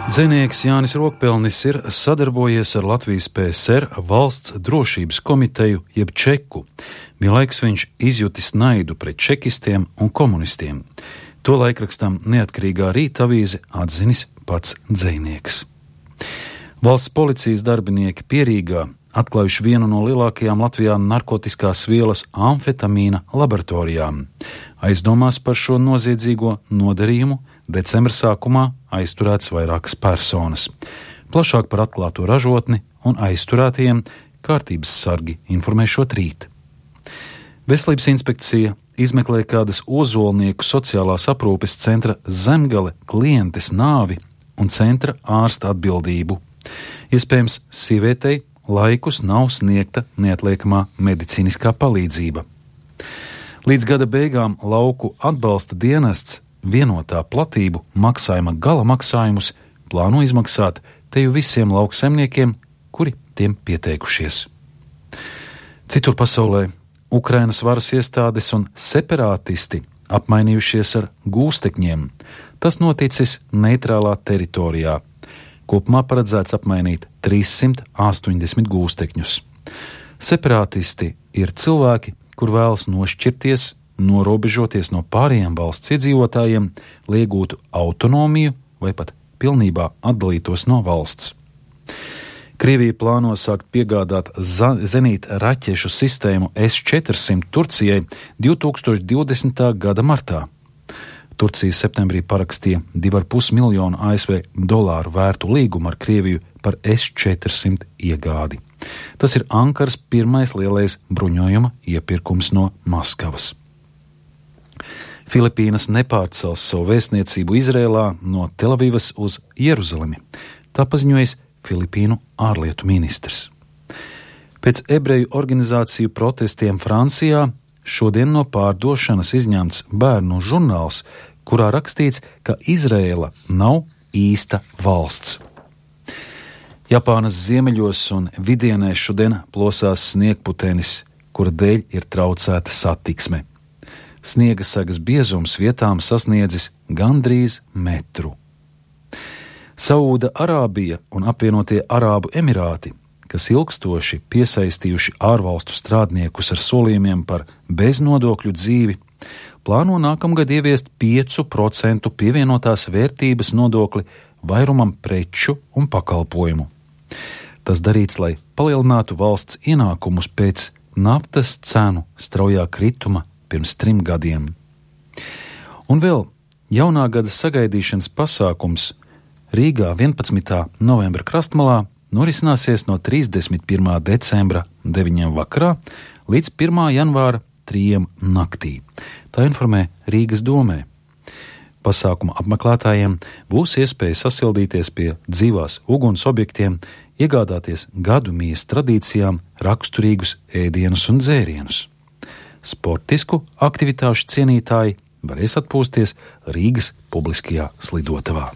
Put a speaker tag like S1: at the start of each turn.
S1: Dzejnieks Jānis Rokpelnis ir sadarbojies ar Latvijas PSR valsts drošības komiteju jeb čeku. Vienlaikus viņš izjutis naidu pret čekistiem un komunistiem. To laikrakstam Neatkarīgā Rīta avīze atzinis pats dzejnieks. Valsts policijas darbinieki Pierīgā atklājuši vienu no lielākajām Latvijā narkotiskās vielas amfetamīna laboratorijām. Aizdomās par šo noziedzīgo nodarījumu decembra sākumā aizturēts vairākas personas. Plašāk par atklāto ražotni un aizturētajiem kārtības sargi informēšot rīt. Veselības inspekcija izmeklē kādas Ozolnieku sociālās aprūpes centra Zemgale klientes nāvi un centra ārsta atbildību. Iespējams, sievietei laikus nav sniegta neatliekamā medicīniskā palīdzība. Līdz gada beigām lauku atbalsta dienests vienotā platību maksājuma gala maksājumus plāno izmaksāt teju visiem lauksaimniekiem, kuri tiem pieteikušies. Citur pasaulē Ukrainas varas iestādes un separātisti apmainījušies ar gūstekņiem. Tas noticis neitrālā teritorijā. Kopumā paredzēts apmainīt 380 gūstekņus. Separātisti ir cilvēki, kur vēlas nošķirties, norobežoties no pārējiem valsts iedzīvotājiem, lai iegūtu autonomiju vai pat pilnībā atdalītos no valsts. Krievija plāno sākt piegādāt zenīta raķešu sistēmu S-400 Turcijai 2020. gada martā. Turcija septembrī parakstīja $2,5 miljonu ASV vērtu līgumu ar Krieviju par S-400 iegādi. Tas ir Ankaras pirmais lielais bruņojuma iepirkums no Maskavas. Filipīnas nepārcels savu vēstniecību Izrēlā no Telavivas uz Jeruzalemi. Tā paziņojis Filipīnu ārlietu ministrs. Pēc ebreju organizāciju protestiem Francijā šodien no pārdošanas izņemts bērnu žurnāls, kurā rakstīts, ka Izrēla nav īsta valsts. Japānas ziemeļos un vidienēs šodien plosās sniegputenis, kura dēļ ir traucēta satiksme. Sniega sagas biezums vietām sasniedzis gandrīz metru. Saūda Arābija un apvienotie Arābu Emirāti, kas ilgstoši piesaistījuši ārvalstu strādniekus ar solījumiem par beznodokļu dzīvi, plāno nākamgad ieviest 5% pievienotās vērtības nodokli vairumam preču un pakalpojumu. Tas darīts, lai palielinātu valsts ienākumus pēc naftas cenu straujā krituma pirms 3 gadiem. Un vēl jaunā gada sagaidīšanas pasākums Rīgā 11. novembra krastmalā norisināsies no 31. decembra 9. vakarā līdz 1. janvāra 3. naktī. Tā informē Rīgas domē. Pasākuma apmeklētājiem būs iespēja sasildīties pie dzīvās uguns objektiem, iegādāties gadu mijas tradīcijām raksturīgus ēdienus un dzērienus. Sportisku aktivitāšu cienītāji varēs atpūsties Rīgas publiskajā slidotavā.